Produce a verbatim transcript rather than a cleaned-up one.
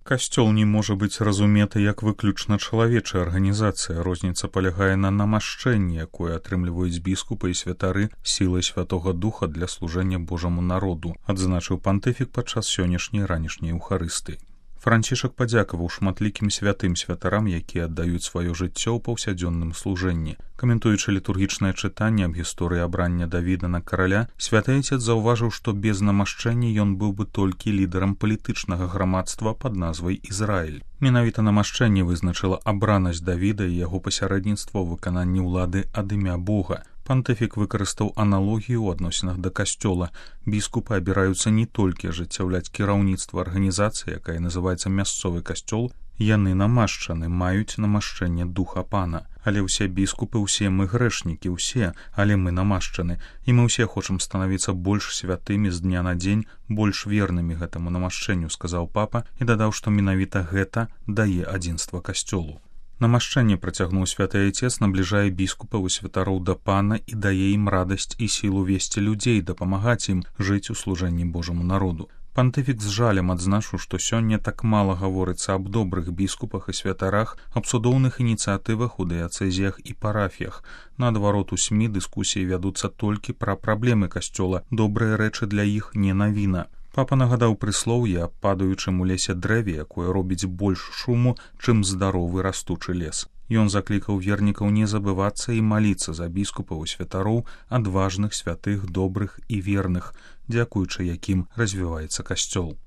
Касцёл не можа быць разуметы як выключна чалавечая арганізацыя. Розніца палягае на намашчэнні, якое атрымліваюць біскупы і святары сілай святога духа для служэння Божаму народу, адзначыў пантыфік падчас сённяшняй ранішняй еўхарыстыі. Францішак падзякаваў шматлікім святым святарам, якія аддаюць сваё жыццё ў паўсядзённым служэнні. Каментуючы літургічнае чытанне аб гісторыі абрання Давіда на караля, святы айцец заўважыў, што без намашчэння ён быў бы толькі лідарам палітычнага грамадства пад назвай Ізраіль. Менавіта намашчэнне вызначыла абранасць Давіда і яго пасярэдніцтва ў выкананні ўлады ад імя Бога. Пантыфік выкарыстаў аналогію ў адносінах да касцёла. Біскупы абіраюцца не толькі ажыццяўляць кіраўніцтва арганізацыі, якая называецца мясцовы касцёл, яны намашчаны, маюць намашчэнне духа пана. Але ўсе біскупы, усе мы грэшнікі, усе, але мы намашчаны, і мы ўсе хочам станавіцца больш святымі з дня на дзень, больш вернымі гэтаму намашчэнню, сказаў папа і дадаў, што менавіта гэта дае адзінства касцёлу. Намашчэнне, працягнуў святы айцец, набліжае біскупаў і святароў да пана і дае ім радасць і сілу весці людзей, дапамагаць ім жыць у служэнні Божаму народу. Пантыфік з жалем адзначыў, што сёння так мала гаворыцца аб добрых біскупах і святарах, аб цудоўных ініцыятывах у дыяцэзіях і парафіях. Наадварот, у СМІ дыскусіі вядуцца толькі пра праблемы касцёла, добрыя рэчы для іх не навіна. Папа нагадаў прыслоўе аб падаючым у лесе дрэве, якое робіць больш шуму, чым здаровы растучы лес. Ён заклікаў вернікаў не забывацца і маліцца за біскупаў і святароў, адважных, святых, добрых і верных, дзякуючы якім развіваецца касцёл.